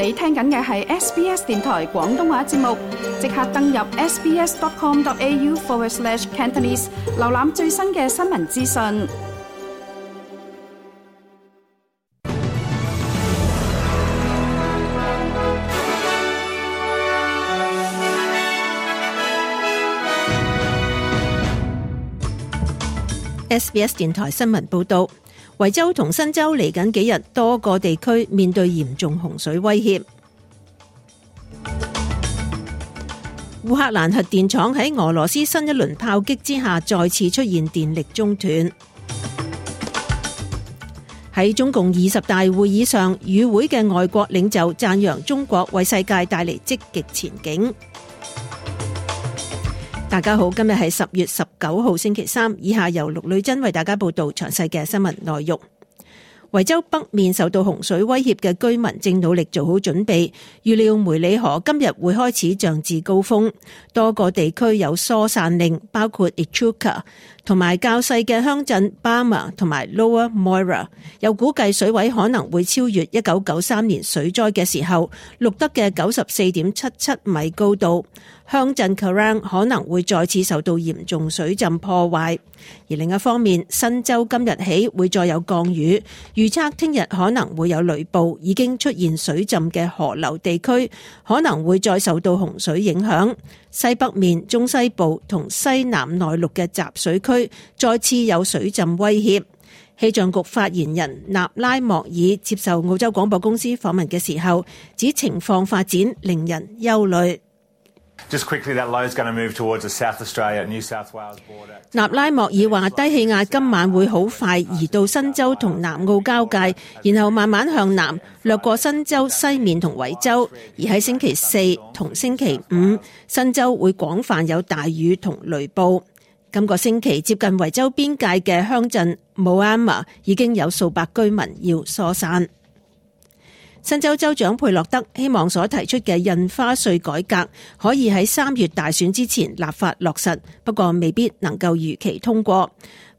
你聽緊嘅係 SBS 電台廣東話節目，即刻登入 sbs.com.au/Cantonese 瀏覽最新嘅新聞資訊。SBS 電台新聞報道，維州同新州嚟緊幾日多個地區面對嚴重洪水威脅。烏克蘭核電廠喺俄羅斯新一輪炮擊之下再次出現電力中斷。喺中共20大會議上，與會嘅外國領袖讚揚中國為世界帶嚟積極前景。大家好，今日係10月19號星期三，以下由陸女珍為大家報道詳細嘅新聞內容。維州北面受到洪水威脅嘅居民正努力做好準備，預料梅里河今日會開始漲至高峰，多個地區有疏散令，包括 Echuca 同埋較細嘅鄉鎮 Barma 同埋 Lower Moira， 有估計水位可能會超越1993年水災嘅時候錄得嘅 94.77 米高度，鄉鎮 Kerang 可能會再次受到嚴重水浸破壞。而另一方面，新州今日起會再有降雨，預測聽日可能會有雷暴，已經出現水浸嘅河流地區可能會再受到洪水影響。西北面、中西部同西南內陸嘅集水區再次有水浸威脅。氣象局發言人納拉莫爾接受澳洲廣播公司訪問嘅時候，指情況發展令人憂慮。Just quickly, that low is going to move towards the South Australia, New South Wales border. 納拉莫爾話，低氣壓今晚會好快移到新州同南澳交界，然後慢慢向南掠過新州西面同維州。而喺星期四同星期五，新州會廣泛有大雨同雷暴。今個星期接近維州邊界嘅鄉鎮 Moama 已經有數百居民要疏散。新州州長佩洛德希望所提出嘅印花稅改革可以喺3月大選之前立法落實，不過未必能夠如期通過。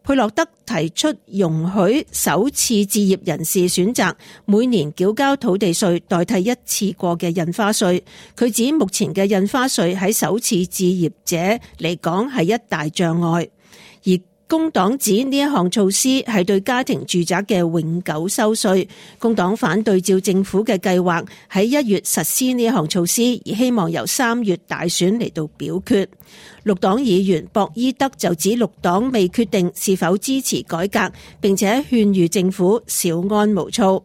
佩洛德提出容許首次置業人士選擇每年繳交土地稅代替一次過嘅印花稅。佢指目前嘅印花稅喺首次置業者嚟講係一大障礙，而工黨指呢一項措施係對家庭住宅嘅永久收稅。工黨反對照政府嘅計劃喺1月實施呢一項措施，而希望由3月大選嚟到表決。綠黨議員博伊德就指綠黨未決定是否支持改革，並且勸喻政府稍安毋躁。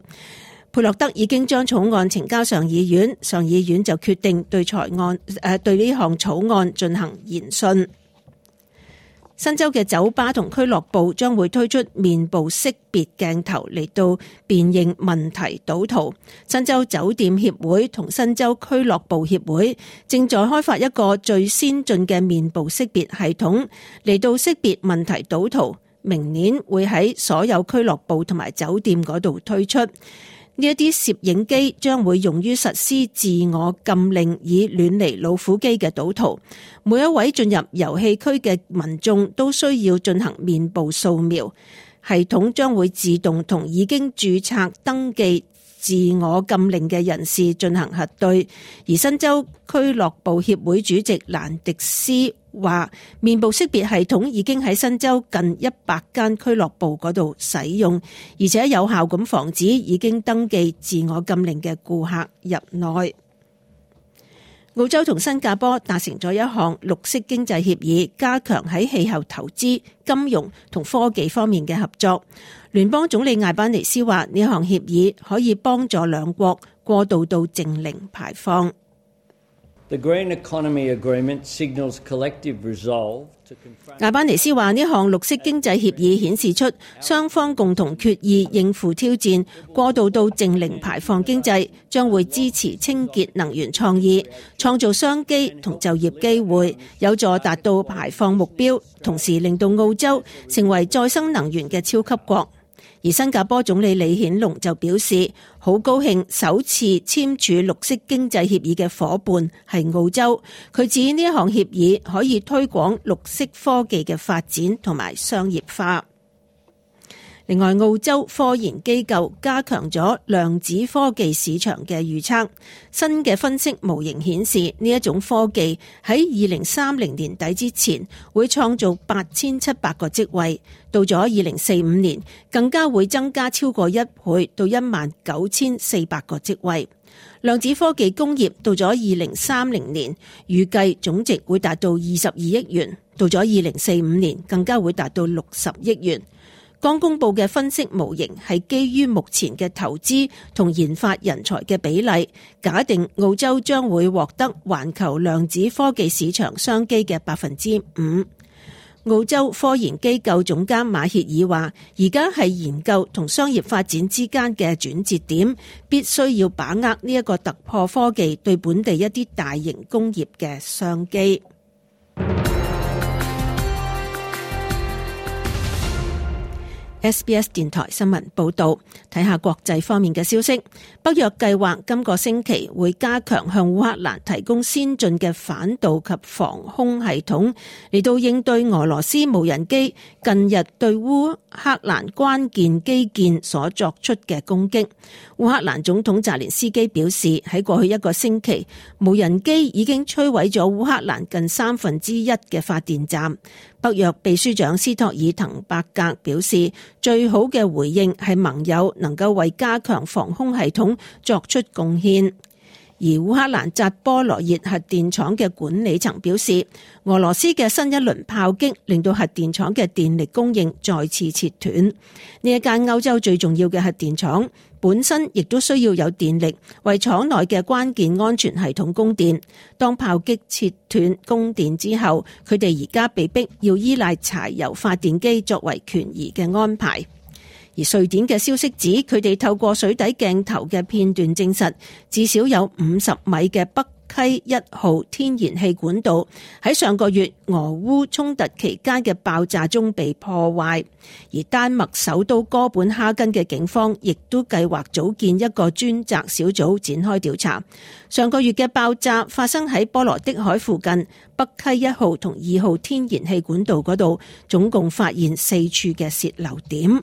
佩洛德已經將草案呈交上議院，上議院就決定對呢項草案進行研訊。新州嘅酒吧同俱樂部將會推出面部識別鏡頭嚟到辨認問題賭徒。新州酒店協會同新州俱樂部協會正在開發一個最先進嘅面部識別系統嚟到識別問題賭徒。明年會喺所有俱樂部同埋酒店嗰度推出。呢一啲攝影機將會用於實施自我禁令以遠離老虎機嘅賭徒。每一位進入遊戲區嘅民眾都需要進行面部掃描，系統將會自動同已經註冊登記自我禁令嘅人士進行核對。而新州俱樂部協會主席蘭迪斯話，面部識別系統已經喺新州近100間俱樂部嗰度使用，而且有效咁防止已經登記自我禁令嘅顧客入內。澳洲同新加坡達成咗一項綠色經濟協議，加強喺氣候投資、金融同科技方面嘅合作。聯邦總理艾班尼斯話，呢項協議可以幫助兩國過渡到淨零排放。The Green Economy Agreement signals collective resolve to confront。艾班尼斯話，呢項綠色經濟協議顯示出雙方共同決意應付挑戰，過渡到淨零排放經濟，將會支持清潔能源創意，創造商機同就業機會，有助達到排放目標，同時令到澳洲成為再生能源嘅超級國。而新加坡總理李顯龍就表示，好高興首次簽署綠色經濟協議嘅夥伴係澳洲。佢指呢一項協議可以推廣綠色科技嘅發展同埋商業化。另外，澳洲科研機構加強咗量子科技市場嘅預測，新嘅分析模型顯示呢一種科技喺2030年底之前會創造8700個職位，到咗2045年更加會增加超過1倍到19400個職位。量子科技工業到咗2030年預計總值會達到22億元，到咗2045年更加會達到60億元。剛公布嘅分析模型係基於目前嘅投資同研發人才嘅比例，假定澳洲將會獲得環球量子科技市場商機嘅 5%。澳洲科研機構總監馬歇爾話，而家係研究同商業發展之間嘅轉折點，必須要把握呢一個突破科技對本地一啲大型工業嘅商機。SBS 電台新聞報道，睇下國際方面嘅消息。北約計劃今個星期會加強向烏克蘭提供先進嘅反導及防空系統，嚟到應對俄羅斯無人機近日對烏克蘭關鍵基建所作出嘅攻擊。烏克蘭總統澤連斯基表示，喺過去一個星期，無人機已經摧毀咗烏克蘭近1/3嘅發電站。北約秘書長斯托爾滕伯格表示，最好嘅回應係盟友能夠為加強防空系統作出貢獻。而烏克蘭扎波羅熱核電廠嘅管理層表示，俄羅斯嘅新一輪炮擊令到核電廠嘅電力供應再次切斷。呢一間歐洲最重要嘅核電廠本身亦都需要有電力為廠內嘅關鍵安全系統供電。當炮擊切斷供電之後，佢哋而家被逼要依賴柴油發電機作為權宜嘅安排。而瑞典嘅消息指，佢哋透過水底鏡頭嘅片段證實，至少有50米嘅北溪1號天然氣管道喺上個月俄烏衝突期間嘅爆炸中被破壞。而丹麥首都哥本哈根嘅警方亦都計劃組建一個專責小組展開調查。上個月嘅爆炸發生喺波羅的海附近北溪1號同2號天然氣管道嗰度，總共發現4處嘅洩漏點。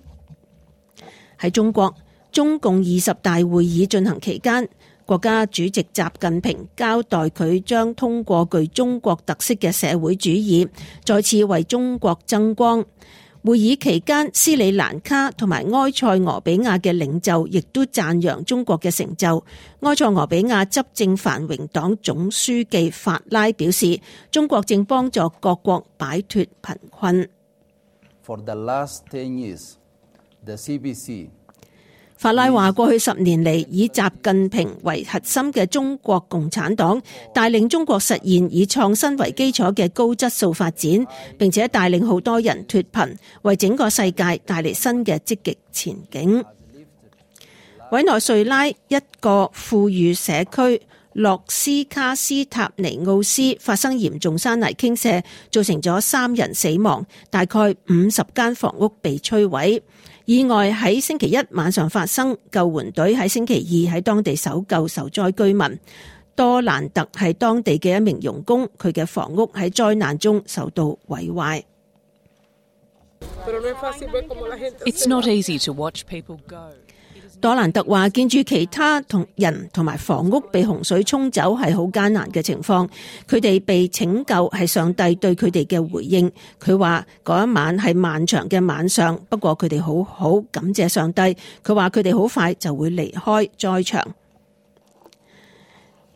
喺中國，中共20大會議進行期間，國家主席習近平交代佢將通過具中國特色嘅社會主義，再次為中國爭光。會議期間，斯里蘭卡同埋埃塞俄比亞嘅領袖亦都讚揚中國嘅成就。埃塞俄比亞執政繁榮黨總書記法拉表示，中國正幫助各國擺脫貧困。For the last 10 years, the CPC法拉話，過去10年嚟，以習近平為核心嘅中國共產黨帶領中國實現以創新為基礎嘅高質素發展，並且帶領好多人脫貧，為整個世界帶嚟新嘅積極前景。委內瑞拉一個富裕社區洛斯卡斯塔尼奧斯發生嚴重山泥傾瀉，造成咗3人死亡，大概50間房屋被摧毀。意外喺星期一晚上發生，救援隊喺星期二喺當地搜救受災居民。多蘭特係當地嘅一名傭工，佢嘅房屋喺災難中受到毀壞。It's not easy to watch people go. 多蘭特話，見住其他同人同埋房屋被洪水沖走係好艱難嘅情況，佢哋被拯救係上帝對佢哋嘅回應。佢話嗰一晚係漫長嘅晚上，不過佢哋好好感謝上帝。佢話佢哋好快就會離開災場。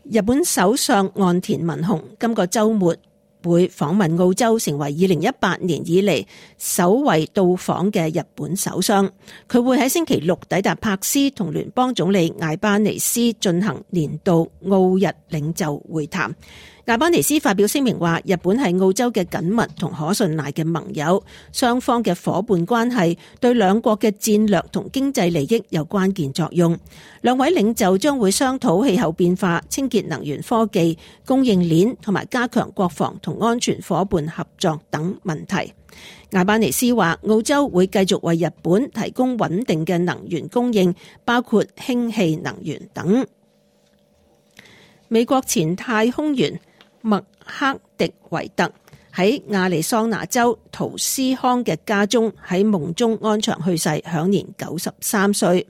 日本首相岸田文雄今個週末會訪問澳洲，成為2018年以嚟首位到訪嘅日本首相。佢會喺星期六抵達柏斯，同聯邦總理艾巴尼斯進行年度澳日領袖會談。艾巴尼斯發表聲明話，日本係澳洲嘅緊密同可信賴嘅盟友，雙方嘅夥伴關係對兩國嘅戰略同經濟利益有關鍵作用。兩位領袖將會商討氣候變化、清潔能源科技、供應鏈同埋加強國防同安全夥伴合作等問題。艾巴尼斯話，澳洲會繼續為日本提供穩定嘅能源供應，包括氫氣能源等。美國前太空員麥克迪維特喺亞利桑那州圖斯康嘅家中喺夢中安詳去世，享年93歲。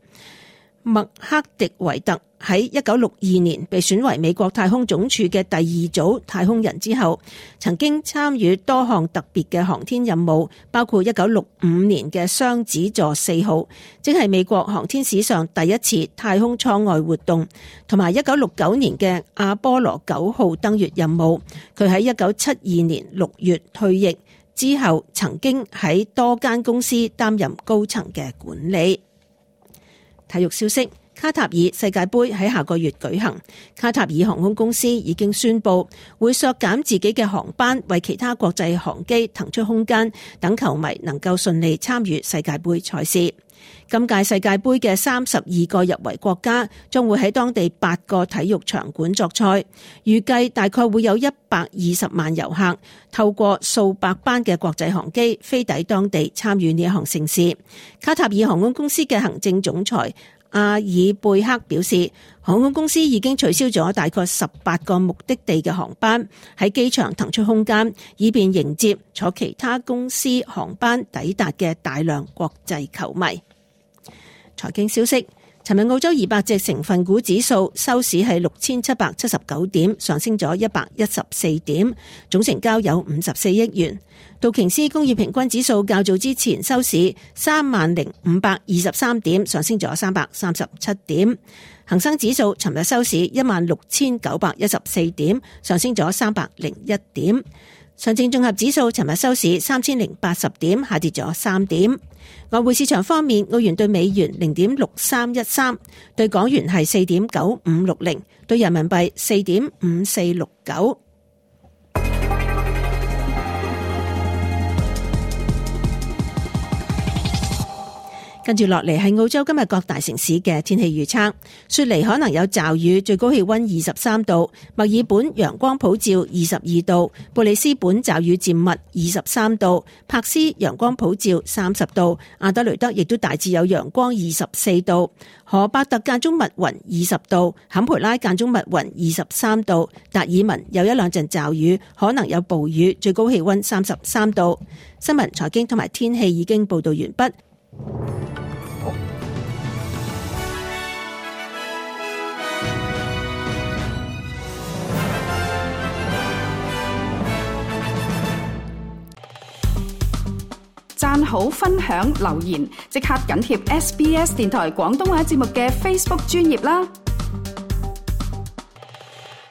麥克迪維特喺1962年被選為美國太空總署嘅第2組太空人之後，曾經參與多項特別嘅航天任務，包括1965年嘅雙子座4號，即係美國航天史上第一次太空艙外活動，同埋1969年嘅阿波羅9號登月任務。佢喺1972年6月退役之後，曾經喺多間公司擔任高層嘅管理。體育消息，卡塔爾世界盃喺下個月舉行，卡塔爾航空公司已經宣布會削減自己嘅航班，為其他國際航機騰出空間，等球迷能夠順利參與世界盃賽事。今屆世界盃嘅32個入圍國家將會喺當地8個體育場館作賽，預計大概會有120萬遊客透過數百班嘅國際航機飛抵當地參與呢一項盛事。卡塔爾航空公司嘅行政總裁阿爾貝克表示，航空公司已經取消咗大概18個目的地嘅航班，喺機場騰出空間，以便迎接坐其他公司航班抵達嘅大量國際球迷。財經消息，尋日澳洲200隻成分股指數收市係6779點，上升咗114點，總成交有54億元。道瓊斯工業平均指數較早之前收市30,523點，上升咗337點。恒生指數尋日收市16,914點，上升咗301點。上證綜合指數尋日收市3080點，下跌咗3點。外匯市場方面，澳元對美元0.6313，對港元係4.9560，對人民幣4.5469。跟住落嚟係澳洲今日各大城市嘅天氣預測。雪梨可能有驟雨，最高氣溫23度；墨爾本陽光普照22度；布里斯本驟雨漸密23度；柏斯陽光普照30度；阿德雷德亦都大致有陽光24度；荷伯特間中密雲20度；坎培拉間中密雲23度；達爾文有一兩陣驟雨，可能有暴雨，最高氣溫33度。新聞、財經同埋天氣已經報道完畢。讚好、分享、留言，即刻緊貼SBS 電台廣東話節目嘅 Facebook 專頁啦！